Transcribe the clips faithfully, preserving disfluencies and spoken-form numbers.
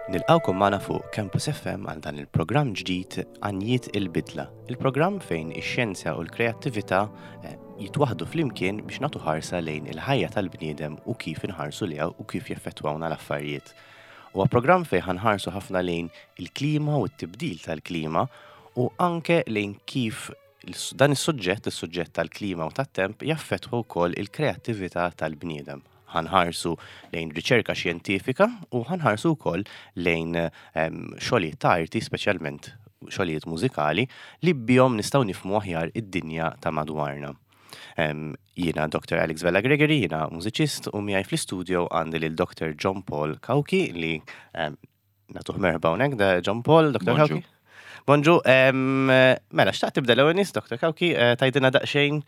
Nilqgħukom magħna fuq Campus F M għal dan il-programm ġdid Għanjiet il-Bidla. Il-programm fejn ix-xjenza u l-kreattività eh, jitwaħdu flimkien biex nagħtu ħarsa lejn il-ħajja tal-bniedem u kif inħarsu liha u kif jeffettwawna l-affarijiet. Huwa programm fejn ħa nħarsu ħafna lejn il-klima u t-tibdil tal-klima u anke lejn kif dan is-suġġett, is-suġġett tal-klima u tat-temp, jaffettwa wkoll il-kreattività tal-bniedem. Ħa nħarsu lejn riċerka xjentifika u ħa nħarsu wkoll lejn xogħlijiet ta' arti, speċjalment xogħlijiet mużikali li bihom nistgħu nifhmu aħjar id-dinja ta' madwarna. Jiena Doctor Alex Vella Gregory, jiena mużiċist u miegħi fl-istudio għandi lil Doctor John Paul Cauchi li nagħtuh merħba hawnhekk, da John Paul, Doctor Cauchi. Bonġu, mela, xtaqt tibda l-ewwel nett, Doctor Cauchi, eh, tgħidilna daqsxejn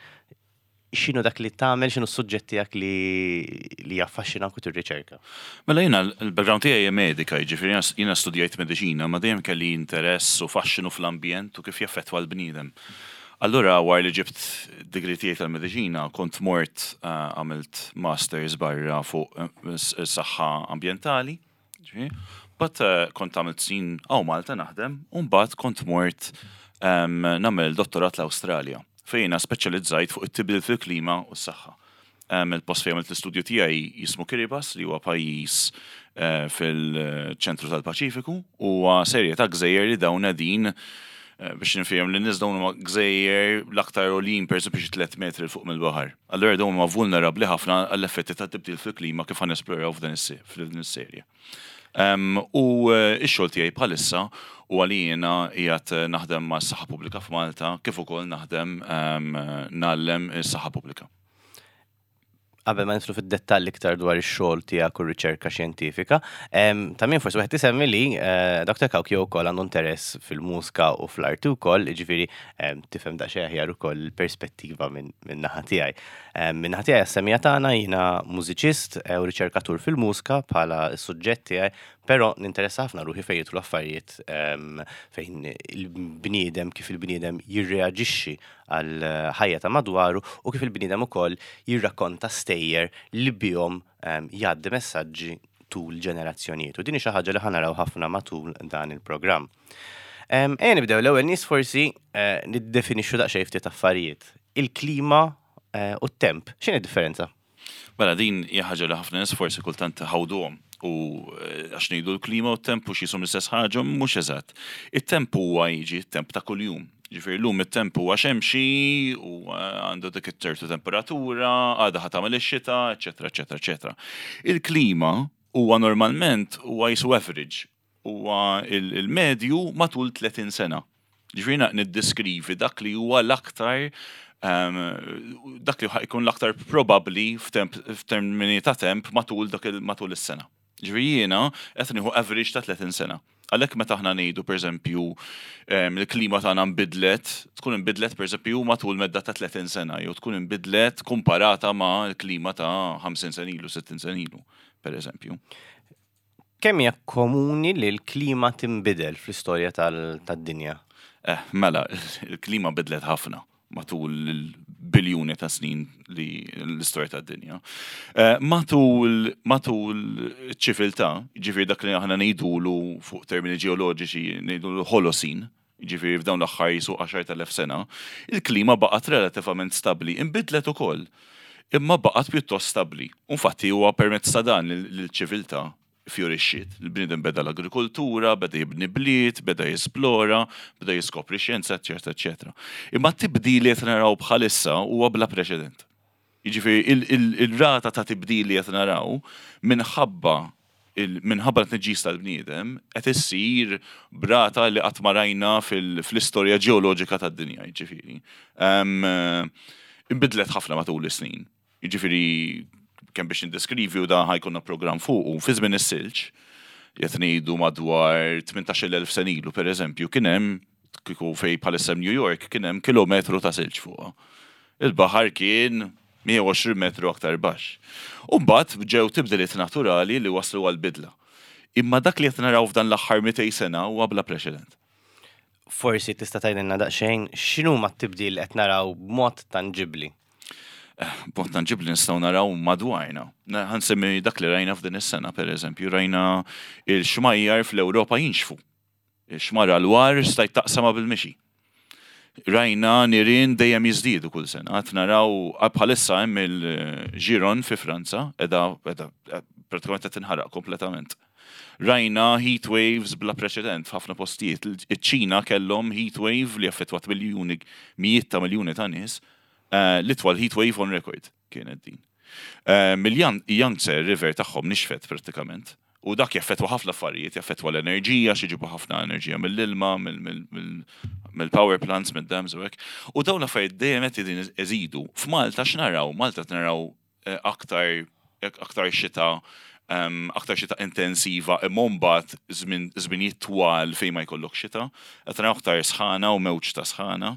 x'inhu dak li tagħmel, x'inhu s-suġġett tiegħek li li jaffaxxinak u tirriċerka. Mela, jiena l-background tiegħi hija medika, jiġifieri jiena studjajt mediċina, ma dejjem kelli interess u faxxinu fl-ambjent u kif jaffettwa l-bniedem. Allura wara li ġibt degree tiegħi tal-mediċina, kont mort eh, għamilt masters barra fuq eh, s-saħħa ambjentali. But eh, kont għamilt snin hawn Malta naħdem, u mbagħad kont mort nagħmel dottorat l-Awstralja fejn speċjalizzajt fuq it-tibdil fil-klima u s-saħħa. Il-post fejn għamilt l-istudju tiegħi jismu Kiribati, li huwa pajjiż eh, fil-ċentru tal-Paċifiku, u serje ta' gżejjer li dawn qegħdin eh, biex nifhem li nies, dawn huma gżejjer l-aktar għoljin per xi tliet metri fuq mill-baħar. Allura dawn huma vulnerabbli ħafna għall-effetti ta' tibdil fil-klima, kif ħa nesploraw f'dan is-serje. U eh, x-xogħol tiegħi bħalissa u għalina qiegħed naħdem ma' s-saħħa pubblika f'Malta, kif ukoll naħdem ngħallem is-saħħa pubblika. Qabel ma nidħlu fid-dettall iktar dwar ix-xogħol tiegħek u r-riċerka xjentifika, em, ta' min forsi wieħed isemmi li eh, Doctor Cauchi wkoll għandu interess fil-mużika u fl-arti wkoll, jiġifieri em, tifhem daqsxejn aħjar ukoll il-perspettiva minn min naħa tiegħi. Em, Minn naħa tiegħi, għas-semmiegħa tagħna, jiena mużiċist eh, u riċerkatur fil-mużika bħala s-suġġett tiegħi, però ninteressa ħafna ruħi fejn jidħlu affarijiet em, fejn il-bniedem, kif il-bniedem jirreaġixxi għal ħajja ta' madwaru u kif il-bniedem ukoll jirrakkonta stejjer li bihom em, jgħaddi messaġġi tul ġenerazzjonijiet. U din hi xi ħaġa li ħa naraw ħafna matul dan il-programm. Em, Ejja nibdew l-ewwel nett forsi eh, niddefinixxu daqsxejn ftit affarijiet. Il-klima eh, u t-temp, x'inhi d-differenza? Mela, din hija ħaġa li ħafna nies forsi kultant ħawduhom u eh, għax ngħidu l-klima u t-temp u x'jisimhom l-istess ħaġa, mhux eżatt. It-temp huwa jiġi t-temp ta' kuljum. Ġifieri llum it-temp huwa xemxi u eh, għandu dik it-ċertu temperatura, għada ħa tagħmel ix-xita, eċetera, eċetera, eċetera. Il-klima huwa normalment huwa jisu average, huwa il- il-medju matul tletin sena. Ġifieri niddeskrivi dak li huwa l-aktar um, dak li jkun l-aktar probabbli f'termini ta' temp matul dak il- matul is-sena. Ġifieri jiena qed nieħu average ta' tletin sena. Għalhekk meta aħna ngħidu, pereżempju, em, il-klima tagħna nbidlet, tkun inbidlet, pereżempju, matul medda ta' tletin sena jew tkun inbidlet komparata ma' l-klima ta' ħamsin sena ilu, sittin sena ilu, pereżempju. Kemm hija komuni li l-klima tinbidel fl-istorja tal- tad-dinja? Eh, mela, il-klima bidlet ħafna matul il-biljuni ta' snin li l-istorja tad-dinja. Eh, matul matul ċiviltà, ġifieri dak li aħna ngħidulu fuq termini ġeoloġiċi ngħidulu Holocene, ġifieri f'dawn l-aħħar jisu għaxart elef sena, il-klima baqgħet relattivament stabbli, inbidlet ukoll, imma baqgħet pjuttost stabbli. Infatti huwa permezz ta' dan li l-ċiviltà fjorixxiet. Il-bniedem beda l-agrikoltura, beda jibni bliet, beda jesplora, beda jiskopri xjenza, eċetera, eċetera. Imma t-tibdil li qed naraw bħalissa huwa bla preċedent. Jiġifieri il-rata ta' tibdil li qed naraw minħabba minħabba t-tniġġis tal-bniedem qed issir b'rata li qatt ma rajna fil-istorja ġeoloġika tad-dinja, jiġifieri. Inbidlet ħafna matul is-snin. Jiġifieri kemm biex nindeskrivi, u da ħa jkollna programm fuq, u fi żmien is-silġ, qed ngħidu madwar tmintax-il elf sena ilu, pereżempju, kien hemm kieku fej bħalissa New York kien hemm kilometru ta' silġ fuqha. Il-baħar kien mija u għoxrin metru aktar baxx. U mbagħad ġew tibdiliet naturali li waslu għal bidla. Imma dak li qed naraw f'dan l-aħħar mitejn sena huwa bla preċedent. Forsi tista' tgħidilna daqsxejn x'inhu ma t-tibdil qed naraw b'mod tanġibbli? B'mod tanġibbli nistgħu naraw madwarna. Ħa nsemmi dak li rajna f'din is-sena, per eżempju, rajna il-xmajjar fl-Ewropa jinxfu. Xmara Loire stajt taqsama bil-mixi. Rajna nirien dejjem jiżdiedu kull sena. Qed naraw bħalissa hemm il-Gironde fi Franza, edha pratikament qed tinħaraq kompletament. Rajna heat waves bla preċedent f'ħafna postijiet. Iċ-Ċina kellhom heat wave li affettwat miljuni, mijiet ta' miljuni ta' nies. Eh, l-itwal heat wave on record kienet din. Eh, Mill-Yangtze River tagħhom nixfet pratikament. U dak jaffettwa ħafna affarijiet, jaffettwa l-enerġija, xi ħafna enerġija mill-ilma, mill-power plants, mill-dams u hekk. U dawn l-affarijiet dejjem qed iżidu. F'Malta x'naraw? Malta naraw eh, aktar aktar xita aktar xita intensiva, imma mbagħad żminijiet twal fejn ma jkollok xita, qed naraw aktar sħana u mewġ ta' sħana.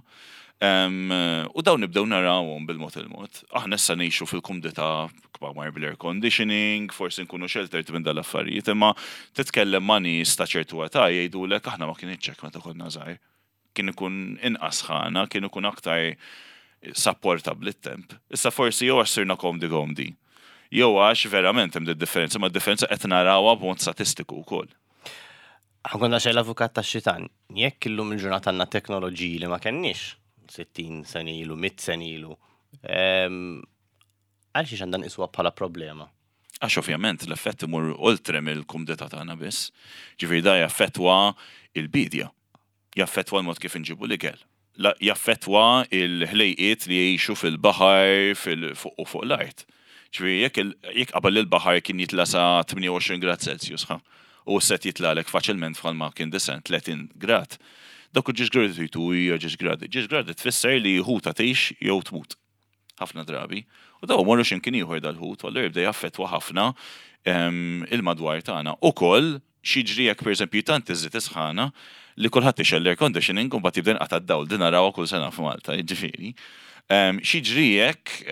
U dawn nibdew narawhom bil-mod il-mod. Aħna issa ngħixu fil-kumdità kmamar bil-air conditioning, forsi nkunu sheltered minn dal-affarijiet, imma titkellem ma' nies ta' ċertu età jgħidulek aħna ma kienx hekk meta konna żgħar. Kien ikun inqas sħana, kien ikun aktar supportable it-temp. Issa forsi jew għax sirna komdi komdi. Jew għax verament hemm differenza, ma differenza qed narawha b'mod statistiku wkoll. Ħa nkun xejn l-avukat tax-xitan, jekk illum il-ġurnata għandna teknoloġiji li ma kenniex sittin sena ilu, mitt sena ilu, għal xiex għandna nqisuha bħala problema? Għax ovvjament l-effett imur oltre mill-kumdità tagħna biss. Ġifieri da jaffettwa il-bidja, jaffettwa l-mod kif inġibu l-ikel, jaffettwa il-ħlejqiet li jgħixu fil-baħar fuq u fuq l-art. Ġifieri jekk qabel il-baħar kien jitla sa tmienja u għoxrin grad Celsius, ħa, u set jitlagħlek faċilment bħalma kien disgħin tletin grad. Dak u ġiex gradi tgħidu hija ġiex gradi. Ġiex gradi tfisser li ħuta tgħix jew tmut. Ħafna drabi. U daw morru x'imkien ieħor dal-ħut, u allura jibda jaffettwa ħafna il-madwar tagħna. Ukoll x'jiġri jekk pereżempju tant iżid isħana li kulħadd ixgħel l-air conditioning u mbagħad jibda jinqata' d-dawl, din narawha kull sena f'Malta, jiġifieri. X'jiġri jekk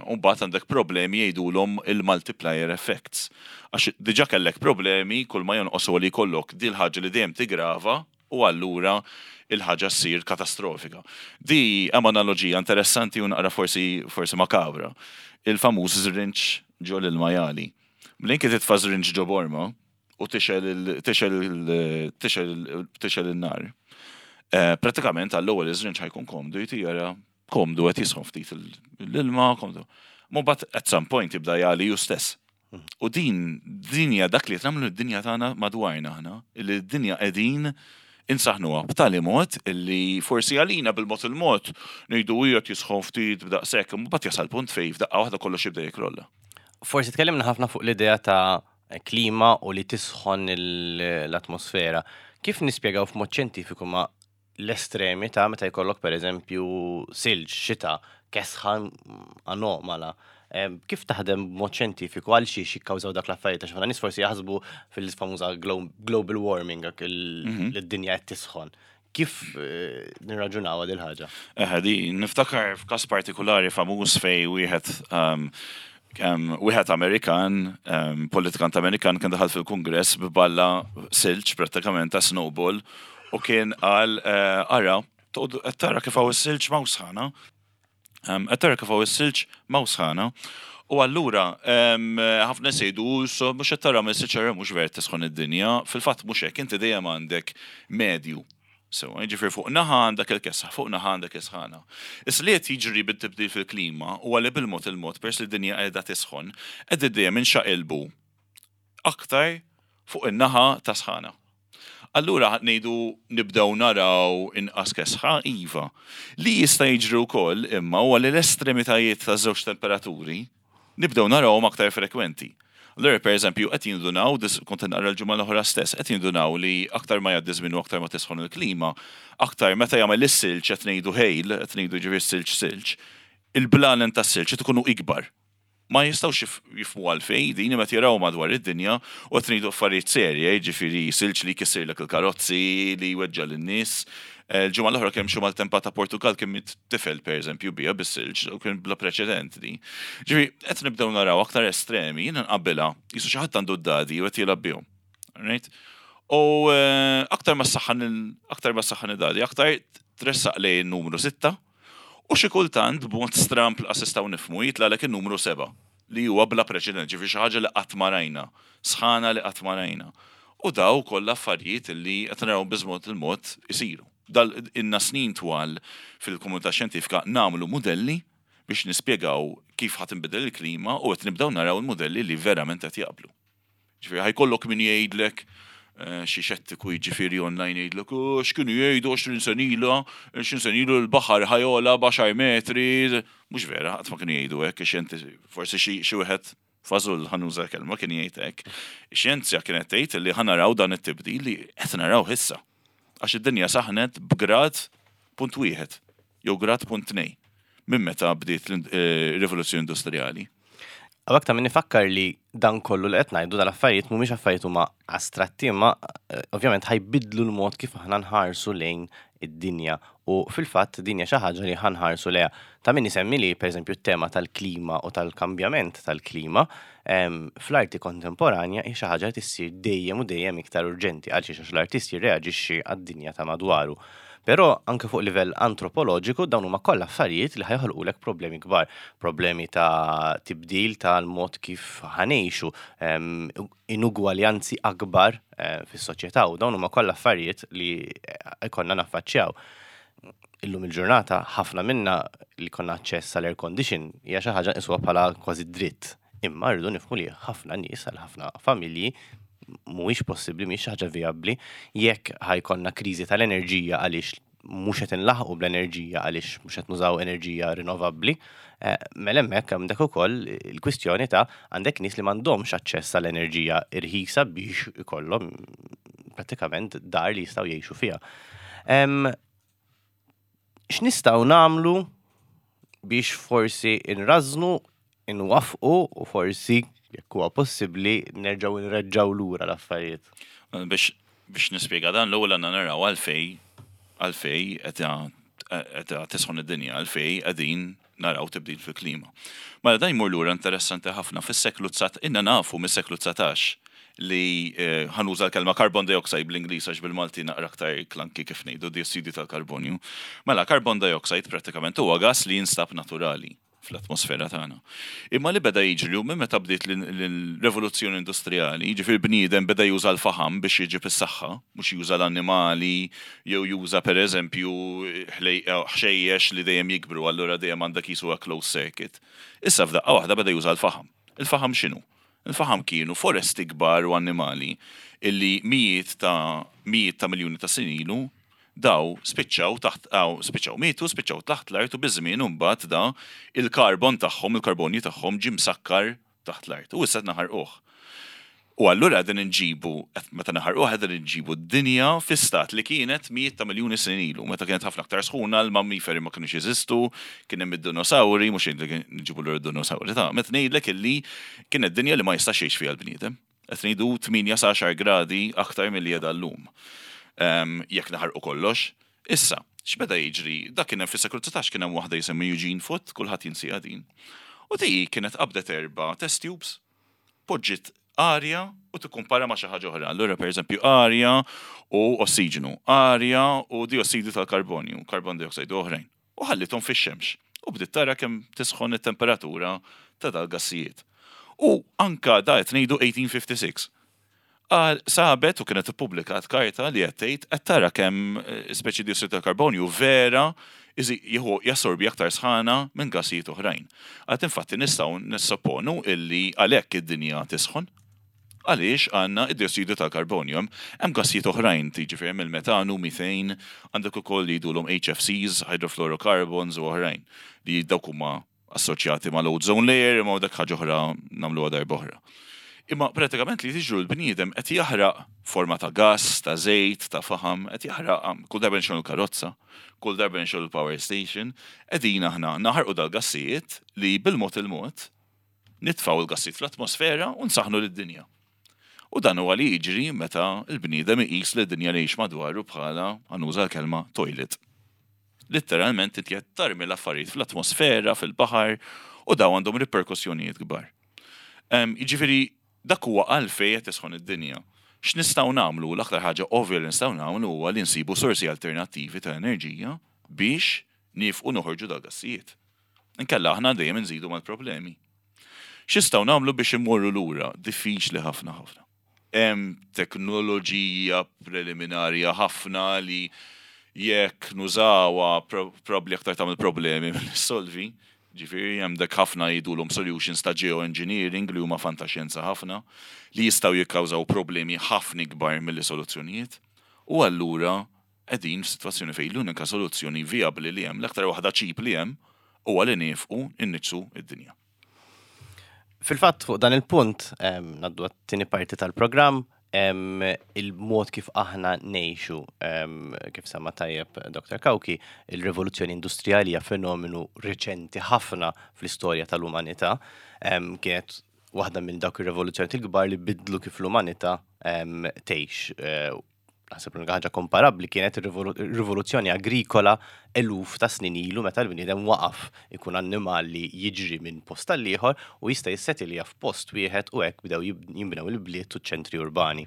u mbagħad għandek problemi jgħidulhom il-multiplier effects. Għax diġà kellek problemi kull ma jonqos li jkollok dil ħaġa li dejjem tigrava u allura il-ħaġa ssir katastrofika. Di hemm analoġija interessanti u naqra forsi forsi makabra. Il-famuż żrinġ ġol il-majali. Mlin titfa' żrinġ ġo borma u tixgħel tixgħel in-nar. Eh, pratikament għall-ewwel iż-żrinġ ħa jkun komdu, jtira komdu qed jisħon ftit l-ilma, komdu. But at some point jibda jagħli hu stess. U din din hija dak li qed nagħmlu d-dinja tagħna madwarna aħna, li d-dinja qegħdin insaħnuha b'tali mod illi forsi għalina bil-mod il-mod ngħidu qiegħed jisħon ftit b'daqshekk, mbagħad jasal punt fejn f'daqqa waħda kollox jibda jikrolla. Forsi tkellimna ħafna fuq l-idea ta' klima u li tisħon l-atmosfera. Kif nispjegaw f'mod xjentifiku ma l-estremi ta' meta jkollok per eżempju silġ, xita, kesħa anomala? Kif taħdem b'mod xjentifiku għal xiex jikkawżaw dak l-affarijiet? Għax ħafna nies forsi jaħsbu fil-famuża global warming, dak mhm. li d-dinja qed tisħon. Kif eh, nirraġunaw dil ħaġa? Eh, di niftakar f'każ partikolari famuż fej wieħed um, wieħed Amerikan, um, politikant Amerikan kien daħal fil-Kungress b'balla silġ prattikament ta' snowball u kien qal eh, ara, tara kif hawn is-silġ m'hawn sħana. Qed tara kif hawn is-silġ m'hawn sħana. U allura, ħafna sejdu, so mhux qed tara mill-silġ mhux ver tisħon id-dinja, fil-fatt mhux hekk, inti dejjem għandek medju. So, ġifieri fuq naħa għandek il-kesħa, fuq naħa għandek is-sħana. Issa li qed jiġri bit-tibdil fil-klima u għalli bil-mod il-mod pers li d-dinja qiegħda tisħon, qed dejjem inxaqilbu aktar fuq in-naħa ta' sħana. Allura ngħidu nibdew naraw inqas kesħa iva. Li jista' jiġri wkoll imma huwa li l-estremitajiet ta' żewġ temperaturi nibdew narawhom aktar frekwenti. Allura per eżempju qed jindunaw, kont naqra l-ġimgħa l-oħra stess, qed jindunaw li aktar ma jgħaddi żmien u aktar ma tisħon il-klima, aktar meta jagħmel is-silġ qed ngħidu hail, qed ngħidu ġifier silġ silġ, il-blalen tas-silġ qed ikunu ikbar. Ma jistgħux jifhmu għalfejn din meta jaraw madwar id-dinja u qed ngħidu affarijiet serje, jiġifieri silġ li jkissirlek il-karozzi, li jweġġa' lin-nies. Il-ġimgħa l-oħra kemm xi maltempata Portugal kien miet tifel pereżempju bija bis-silġ u kien bla preċedent di. Ġifieri qed nibdew naraw aktar estremi, jiena nqabbilha qisu xi ħadd għandu d-dadi u qed jilgħab bihom. Right? U aktar ma saħħan aktar ma saħħan id-dadi, aktar tressaq lejn numru sitta. U xi kultant b'mod stramp lanqas nistgħu nifhmu jitlagħlek in-numru seba' li huwa bla preċedent, ġifieri xi ħaġa li qatt ma rajna, sħana li qatt ma rajna. U daw kollha affarijiet li qed naraw biż-mod il-mod isiru. Dal ilna snin twal fil-komunità xjentifika nagħmlu modelli biex nispjegaw kif ħa tinbidel il-klima u qed nibdew naraw il-modelli li verament qed jaqblu. Ġifieri ħa jkollok min jgħidlek eh, xi xettiku, jiġifieri online jgħidlek, "Oh, x'kienu jgħidu għoxrin sena ilu, għoxrin sena ilu l-baħar ħa jogħla b'għaxar metri." Mhux vera, qatt ma kienu jgħidu hekk, ix-xjenti forsi xi xi wieħed fażul, ħa nuża kelma, kien jgħid hekk. Ix-xjenzja kienet tgħid li ħa naraw dan it-tibdil li qed naraw issa. Għax id-dinja saħnet b'grad punt wieħed jew grad punt tnejn minn meta bdiet l-rivoluzzjoni industrijali. Hawnhekk ta' min ifakkar li dan kollu li qed ngħidu, dal-affarijiet mhumiex affarijiet huma astratti, imma eh, ovvjament ħa jbiddlu l-mod kif aħna nħarsu lejn id-dinja u fil-fatt dinja xi ħaġa li ħa nħarsu lejha. Ta' min isemmi li, pereżempju, t-tema tal-klima u tal-kambjament tal-klima em, fl-arti kontemporanja hi xi ħaġa li tissir dejjem u dejjem iktar urġenti għaliex għax l-artist jirreaġixxi għad-dinja ta' madwaru. Però anke fuq livell antropoloġiku dawn huma kollha affarijiet li ħa joħolqulek problemi kbar, problemi ta' tibdil tal-mod kif ħa ngħixu, em, inugwaljanzi akbar eh, fis-soċjetà u dawn huma kollha affarijiet li eh, ikollna naffaċċjaw. Illum il-ġurnata ħafna minna li jkollna aċċess għall air condition hija xi ħaġa nqisuha bħala kważi dritt. Imma rridu nifhmu li ħafna nies, għal ħafna familji mhuwiex possibbli, mhijiex xi ħaġa vijabbli. Jekk ħa jkollna kriżi tal-enerġija għaliex mhux qed inlaħqu bl-enerġija, għaliex mhux qed nużaw enerġija rinnovabbli, eh, mela hemmhekk għandek ukoll il-kwistjoni ta' għandek nies li m'għandhomx aċċess għall-enerġija irħisa biex ikollhom prattikament dar li jistgħu jgħixu fiha. Em, X'nistgħu nagħmlu biex forsi inrażnu, inwaffqu u forsi, jekk huwa possibbli, nerġgħu nreġġgħu lura l-affarijiet? Biex biex nispjega dan, l-ewwel għandna naraw għalfej għalfej qed qed tisħon id-dinja, għalfej qegħdin naraw tibdil fil-klima. Mela dan jmur lura, interessanti ħafna, fis-seklu dsatax, ilna nafu mis-seklu dsatax li eh, ħa nuża l-kelma carbon dioxide bl-Ingliż għax bil-Malti naqra aktar clunky kif ngħidu diossidu tal-karbonju. Mela carbon dioxide pratikament huwa gas li jinstab naturali fl-atmosfera tagħna. Imma li beda jiġri minn meta bdiet l-rivoluzzjoni industrijali, jiġifieri bniedem beda juża l-faħam biex jiġib is-saħħa, mhux juża l-annimali jew juża, pereżempju, ħxejjex li dejjem jikbru, allura dejjem għandek jisu a closed circuit. Issa f'daqqa waħda beda juża l-faħam. Il-faħam x'inhu? Il-faħam kienu foresti kbar u annimali illi mijiet ta' mijiet ta' miljuni ta' snin ilu daw spiċċaw taħt aw spiċċaw mietu, spiċċaw taħt l-art u biż-żmien imbagħad da il-karbon tagħhom, il-karbonju tagħhom ġie msakkar taħt l-art. U issa naħarquh. U allura qegħdin inġibu, meta naħarquh qegħdin inġibu d-dinja fi stat li kienet mijiet ta' miljuni snin ilu, meta kienet ħafna aktar sħuna, l-mammiferi ma kienux jeżistu, kien hemm id-dinosawri, mhux ngħidlek nġibu l dinosauri ta' meta ngħidlek illi kienet dinja li ma jistax jgħix fiha l-bniedem. Qed ngħidu tmienja sa għaxar gradi aktar milli qiegħda llum. Jekk naħarqu kollox. Issa, x'beda jiġri? Dak kien hemm fis-seklu dsatax, kien hemm waħda jisimha Eugene Foote, kulħadd jinsieha din. U di kienet qabdet erba' test tubes, poġġiet arja u tikkumpara ma' xi ħaġa oħra. Allura, pereżempju, arja u ossiġenu, arja u diossidu tal-karbonju, carbon dioxide u oħrajn. U ħallithom fix-xemx. U bdiet tara kemm tisħon it-temperatura ta' dal-gassijiet. U anka da qed ngħidu eighteen fifty-six. Għal sabet u kienet ippubblikat karta li qed tgħid qed tara kemm eh, speċi diossidu tal-karbonju vera jieħu jassorbi aktar sħana minn gassijiet oħrajn. Għad infatti nistgħu nissupponu illi għalhekk id-dinja tisħon għaliex għandna id-diossidu tal-karbonju. Hemm gassijiet oħrajn, tiġifieri hemm il-metanu, methane, għandek ukoll li jgħidulhom H F Cs, hydrofluorocarbons u oħrajn, li dawk huma assoċjati ma' l-ozone layer, imma dak ħaġa oħra nagħmluha darba oħra. Imma pratikament li tiġru l-bniedem qed jaħraq forma ta' gas, ta' żejt, ta' faħam, qed jaħraq kull darba nxogħlu karozza, kull darba nxogħlu power station, qegħdin aħna naħarqu dal-gassijiet li bil-mod il-mod nitfaw il-gassijiet fl-atmosfera u nsaħnu lid-dinja. U dan huwa li jiġri meta l-bniedem iqis li d-dinja li jgħix madwaru bħala, ħa nuża l-kelma, toilet. Literalment inti qed tarmi l-affarijiet fl-atmosfera, fil-baħar, u daw għandhom riperkussjonijiet kbar. Jiġifieri dak huwa għalfejn qed tisħon id-dinja. X'nistgħu nagħmlu? L-aktar ħaġa ovvja li nistgħu nagħmlu huwa li nsibu sorsi alternattivi ta' enerġija biex Nieqfu noħorġu dal-gassijiet. Inkella aħna dejjem nżidu mal-problemi. X'nistgħu nagħmlu biex immorru lura? Diffiċli ħafna ħafna. Hemm teknoloġija preliminarja ħafna li jekk nużawha probabbli aktar tagħmel problemi milli ssolvi. Ġifieri hemm dak ħafna jgħidulhom solutions ta' geoengineering li huma fantaxjenza ħafna li jistgħu jikkawżaw problemi ħafna ikbar milli soluzzjonijiet. U allura qegħdin f'sitwazzjoni fejn l-unika soluzzjoni viabli li hemm, l-aktar waħda cheap li hemm, huwa li nieqfu nniġġsu id-dinja. Fil-fatt, fuq dan il-punt, ngħaddu għat-tieni parti tal-programm, il-mod kif aħna ngħixu, kif semma tajjeb Doktor Cauchi, il-rivoluzzjoni industrijali hija fenomenu reċenti ħafna fl-istorja tal-umanità. Kienet waħda minn dawk ir-rivoluzzjoni il-kbar li bidlu kif l-umanità tgħix. Eh, naħseb l ħaġa komparabbli kienet ir-rivoluzzjoni agrikola eluf ta' snin ilu, meta l-bniedem waqaf ikun annimal li jiġri minn post għal ieħor u jista' jissetilja f'post wieħed, u hekk bdew jinbnew il-bliet u ċentri urbani.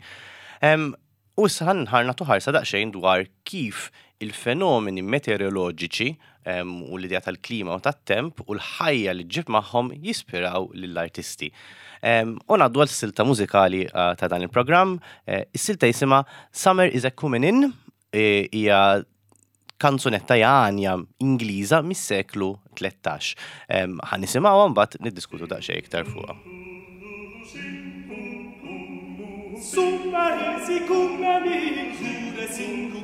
U issa ħa nagħtu ħarsa daqsxejn dwar kif il-fenomeni meteoroloġiċi u l-idea tal-klima u tat-temp u l-ħajja li ġib magħhom jispiraw lill-artisti. U ngħaddu għal silta mużikali eh, ta' dan il-programm. Eh, is-silta jisimha "Summer is a Coming In", eh, hija kanzunetta, għanja Ingliża mis-seklu tlettax. Ħa nisimgħuha, mbagħad niddiskutu daqsxejn iktar fuqha. Summer is a coming in,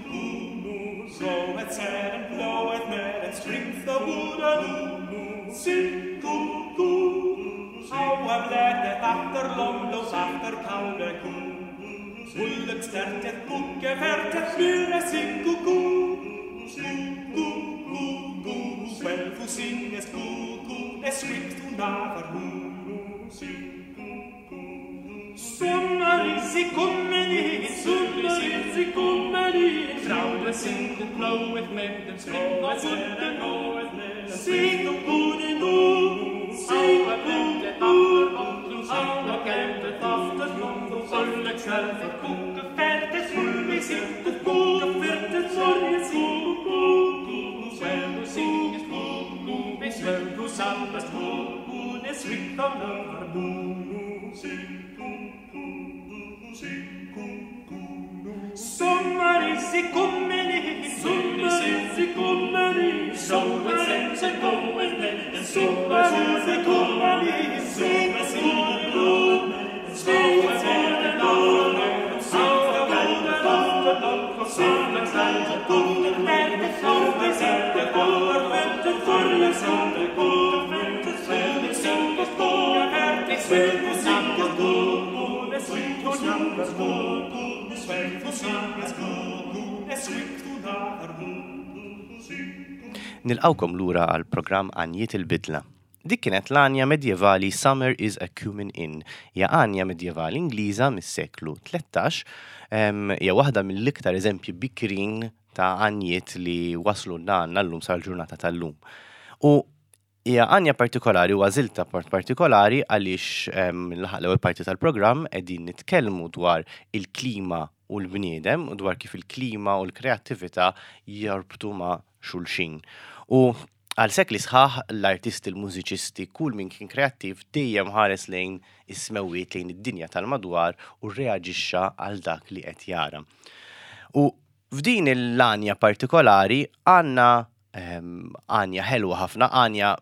Bloweth and bloweth med and strings the wooden Sing-ku-ku. Háaflettet after lomlós after kálveku Ulluxtertet bukkefertet myre sing-ku-ku Sing-ku-ku-ku. Svelfu singes ku-ku Es svikt unavar hu. Sommar is i kommen inn, sommar is i kommen inn, Frauen sing og bloweth med dem spring og budden Sing og gode nu, sing og Sommar is i kommen inn, sommar is i kommen inn, Sommar is i kommen inn, sommar is i kommen inn, sommar is i kommen inn, sommar is i kommen inn, Nilqgħukom lura għal programm Għanjiet il-Bidla. Dik kienet l-għanja medjevali "Summer is a Cumin In". Hija għanja medjevali Ingliża mis-seklu tlettax, hija waħda mill-iktar eżempji bikrin ta' għanjiet li waslu għandna llum sal-ġurnata tal-lum. U hija għanja partikolari u għażiltha part partikolari għaliex laħaq l-ewwel parti tal-programm qegħdin nitkellmu dwar il-klima u l-bniedem u dwar kif il-klima u l-kreattività jorbtu ma' xulxin. U għal sekli sħaħ l-artisti, l-mużiċisti, kull min kien kreattiv dejjem ħares lejn is-smewwiet, lejn id-dinja tal-madwar u reaġixxa għal dak li qed jara. U f'din l-għanja partikolari għandna għanja ħelwa ħafna, għanja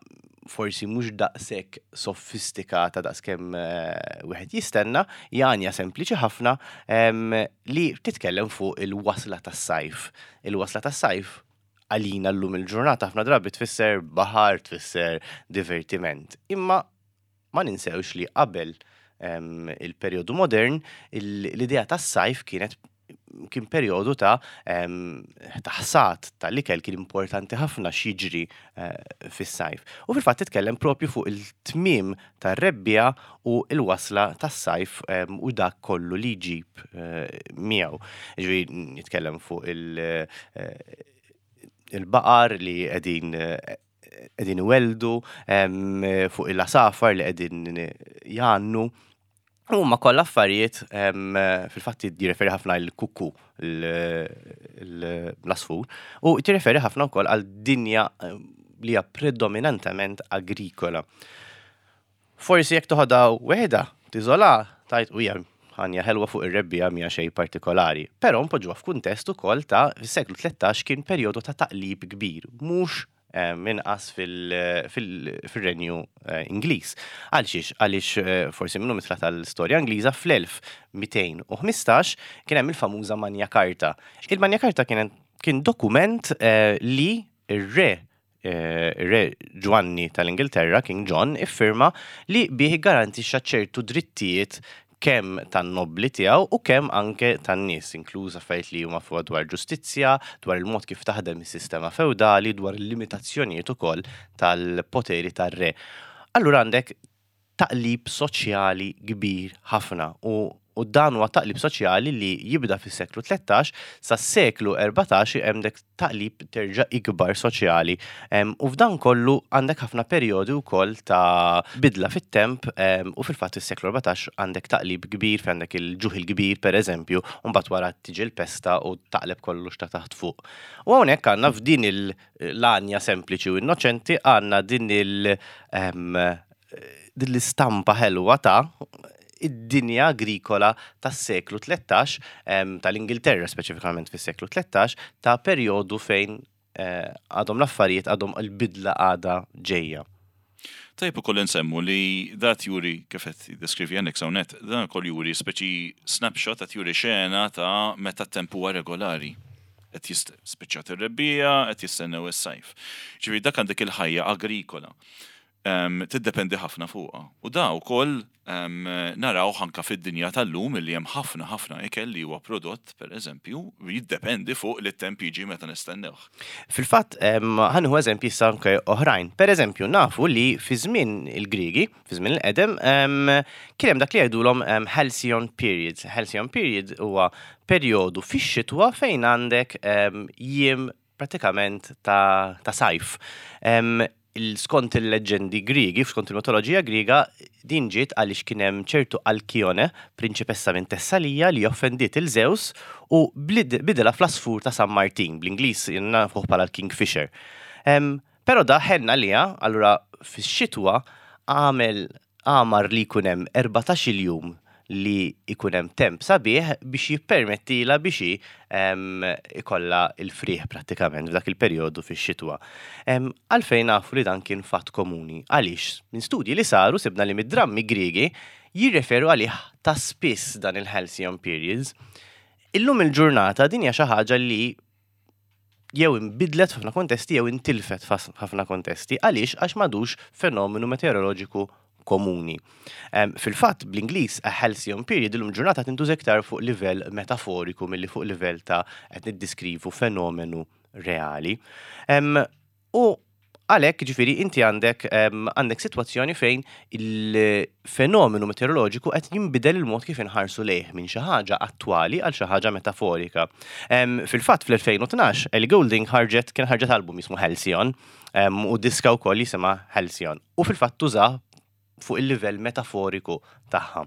forsi mhux daqshekk sofistikata daqskemm eh, wieħed jistenna, hija għanja sempliċi ħafna li titkellem fuq il-wasla tas-sajf. Il-wasla tas-sajf għalina llum il-ġurnata ħafna drabi tfisser baħar, tfisser divertiment. Imma ma ninsewx li qabel il-perjodu modern, l-idea tas-sajf kienet kien perjodu ta' ta' ħsad tal-ikel, kien importanti ħafna x'jiġri eh, fis-sajf. U fil-fatt titkellem propju fuq il-tmiem tar-rebbiegħa u l-wasla tas-sajf u dak kollu li jġib eh, miegħu. Ġifieri jitkellem fuq il- eh, il-baqar li qegħdin qegħdin iweldu, fuq il-għasafar li qegħdin jgħannu. Huma kollha affarijiet, fil-fatt jirreferi ħafna l-kukku, l-għasfur, u tirreferi ħafna wkoll għal dinja li hija predominantement agrikola. Forsi jekk toħodha weħda, tiżola, tajt u hija għanja ħelwa fuq ir-rebbiegħa, mija xejn partikolari. Però npoġġuha f'kuntest ukoll ta' fis-seklu tlettax kien perjodu ta' taqlib kbir, mhux minqas fil-Renju Ingliż. Għalxiex? Għaliex forsi minnu mitla tal-istorja Ingliża, fl-elf mitejn u ħmistax kien hemm il-famuża Magna Carta. Il-Magna Carta kien kien dokument li ir-re Re Ġwanni tal-Ingilterra, King John, iffirma li bih garantixxa ċertu drittijiet kemm tan-nobli tiegħu u kemm anke tan-nies, inkluż affarijiet li huma fuq dwar ġustizzja, dwar il-mod kif taħdem is-sistema feudali, dwar il-limitazzjonijiet ukoll tal-poteri tar-re. Allura għandek taqlib soċjali kbir ħafna u u dan huwa taqlib soċjali li jibda fis-seklu tlettax sa seklu erbatax, għandek taqlib terġa' ikbar soċjali. U f'dan kollu għandek ħafna perjodi wkoll ta' bidla fit-temp, u fil-fatt is-seklu erbatax għandek taqlib kbir fejn għandek il-ġuħ il-kbir, pereżempju, u mbagħad wara tiġi l-pesta u taqleb kollox ta' taħt fuq. U hawnhekk għandna f'din l-għanja sempliċi u innoċenti għandna din il- din l-istampa ħelwa ta' id-dinja agrikola tas-seklu tlettax, tal-Ingilterra speċifikament fis-seklu tlettax, ta' perjodu fejn eh, għadhom l-affarijiet, għadhom il-bidla għadha ġejja. Tajb ukoll nsemmu li dat juri, kif qed deskrivi għandek hawnhekk, dan ukoll juri speċi snapshot, qed juri xena ta' meta t-temp huwa regolari. Qed spiċċat ir-rebbiegħa, qed jistennew is-sajf. Ġifieri dak għandek il-ħajja agrikola. Um, tiddependi ħafna fuqha. U da wkoll um, naraw anka fid-dinja tal-lum li hemm ħafna ħafna ikel li huwa prodott, pereżempju, jiddependi fuq li t-temp jiġi meta nistennewh. Fil-fatt, ħa nieħu eżempji issa anke oħrajn. Per eżempju, nafu li fi żmien il-Griegi, fi żmien il-qedem, kien hemm dak li jgħidulhom Halcyon periods. Halcyon period huwa perjodu fix-xitwa fejn għandek jiem pratikament ta', ta sajf. Um, skont il-leġendi Griegi, skont il-mitoloġija Griega, din ġiet għaliex kien hemm ċertu Alkione, prinċipessa minn Tessalija, li offendiet il Zeus u bidela fl-għasfur ta' San Martin, bl-Ingliż nafuh bħala l-Kingfisher. Um, pero da ħenna liha, allura fix-xitwa għamel għamar li jkun hemm erbatax-il jum li ikun hemm temp sabiħ biex jippermettila biex ikolla il-frieħ prattikament f'dak il-perjodu fix-xitwa. Għalfejn nafu li dan kien fatt komuni? Għaliex minn studji li saru sibna li mid-drammi Griegi jirreferu għalih ta' spiss dan il-Halcyon periods. Illum il-ġurnata din hija xi ħaġa li jew inbidlet f'ħafna kontesti jew intilfet f'ħafna kontesti. Għaliex? Għax m'għadux fenomenu meteoroloġiku komuni. Fil-fatt, bl-Ingliż a halcyon period illum ġurnata tintuża iktar fuq livell metaforiku milli fuq livell ta' qed niddiskrivu fenomenu reali. U għalhekk, ġifieri, inti għandek għandek sitwazzjoni fejn il-fenomenu meteoroloġiku qed jinbidel il-mod kif inħarsu lejh minn xi ħaġa attwali għal xi ħaġa metaforika. Fil-fatt fl-elfejn u tnax Ellie Goulding ħarġet kien ħarġet album jismu Halcyon u diska wkoll jisimha Halcyon. U fil-fatt tuża fuq il-livell metaforiku tagħha.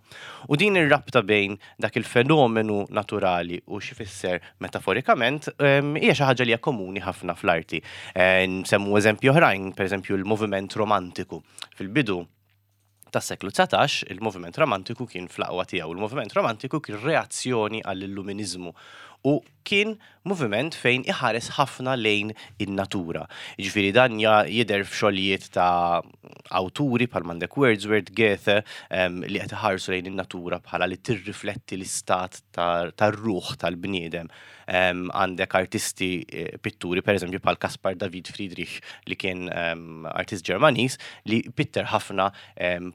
U din ir-rabta bejn dak il-fenomenu naturali u x'ifisser metaforikament hija xi ħaġa li hija komuni ħafna fl-arti. Eh, nsemmu eżempju oħrajn, pereżempju l-moviment romantiku. Fil-bidu tas-seklu dsatax, il-moviment romantiku kien fl-aqwa tiegħu. Il-moviment romantiku kien reazzjoni għall-illuminizmu u kien moviment fejn iħares ħafna lejn in-natura. Jiġifieri dan jidher f'xogħlijiet ta' awturi bħal m'għandek Wordsworth, Goethe, li qed iħarsu lejn in-natura bħala li tirrifletti l-istat tar-ruħ tal-bniedem. Għandek artisti, eh, pitturi, per eżempju bħal Caspar David Friedrich, li kien artist Ġermaniż li pitter ħafna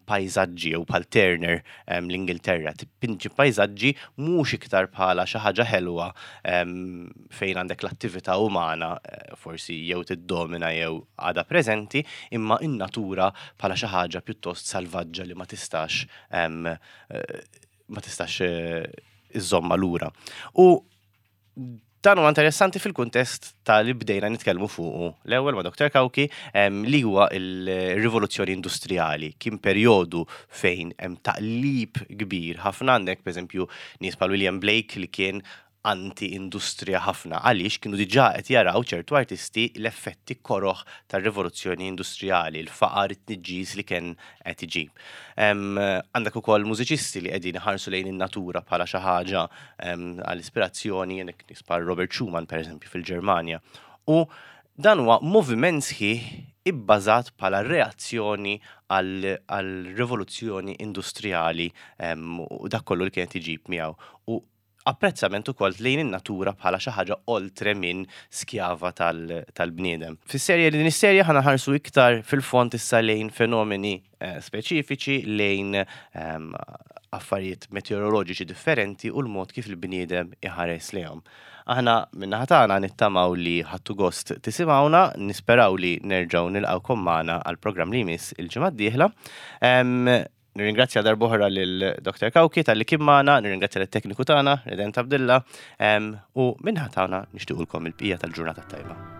pajzaġġi, jew bħal Turner l-Ingilterra, tipinġi pajzaġġi mhux iktar bħala xi ħaġa ħelwa fejn għandek l-attività umana eh, forsi jew tiddomina jew għada preżenti, imma in-natura bħala xi ħaġa pjuttost salvaġġa li ma tistax eh, ma tistax eh, iżomma lura. U Dan huwa interessanti fil-kuntest ta' li bdejna nitkellmu fuqu l-ewwel ma' Doctor Cauchi, em, li huwa il-rivoluzzjoni industrijali. Kien perjodu fejn hemm taqlib kbir ħafna. Għandek, pereżempju, nies bħal William Blake li kien anti-industrija ħafna, għaliex kienu diġà qed jaraw ċertu artisti l-effetti koroħ tar-rivoluzzjoni industrijali, il-faqar, it-tniġġis li kien qed iġib. Em, Għandek ukoll mużiċisti li qegħdin iħarsu lejn in-natura bħala xi ħaġa em, għall-ispirazzjoni, għandek nies bħal Robert Schumann, pereżempju, fil-Ġermanja. U dan huwa moviment sħiħ ibbażat bħala reazzjoni għall-rivoluzzjoni industrijali em, u dak kollu li kienet iġib miegħu. U apprezzament ukoll lejn in-natura bħala xi ħaġa oltre minn skjava tal- tal-bniedem. Fis-serje din is-serje ħa nħarsu iktar fil-fond issa lejn fenomeni eh, speċifiċi, lejn ehm, affarijiet meteoroloġiċi differenti u l-mod kif il-bniedem iħares lejhom. Aħna min-naħa tagħna nittamaw li ħadtu gost tisimgħuna, nisperaw li nerġgħu nilqgħukom magħna għal programm li jmiss il-ġimgħa d-dieħla. Em, Nirringrazzja darb'oħra lil Doctor Cauchi talli kien magħna, nirringrazzja lit-tekniku tagħna, Redent Abdilla, em, u min-naħa tagħna nixtiequlkom il-bqija tal-ġurnata tajba.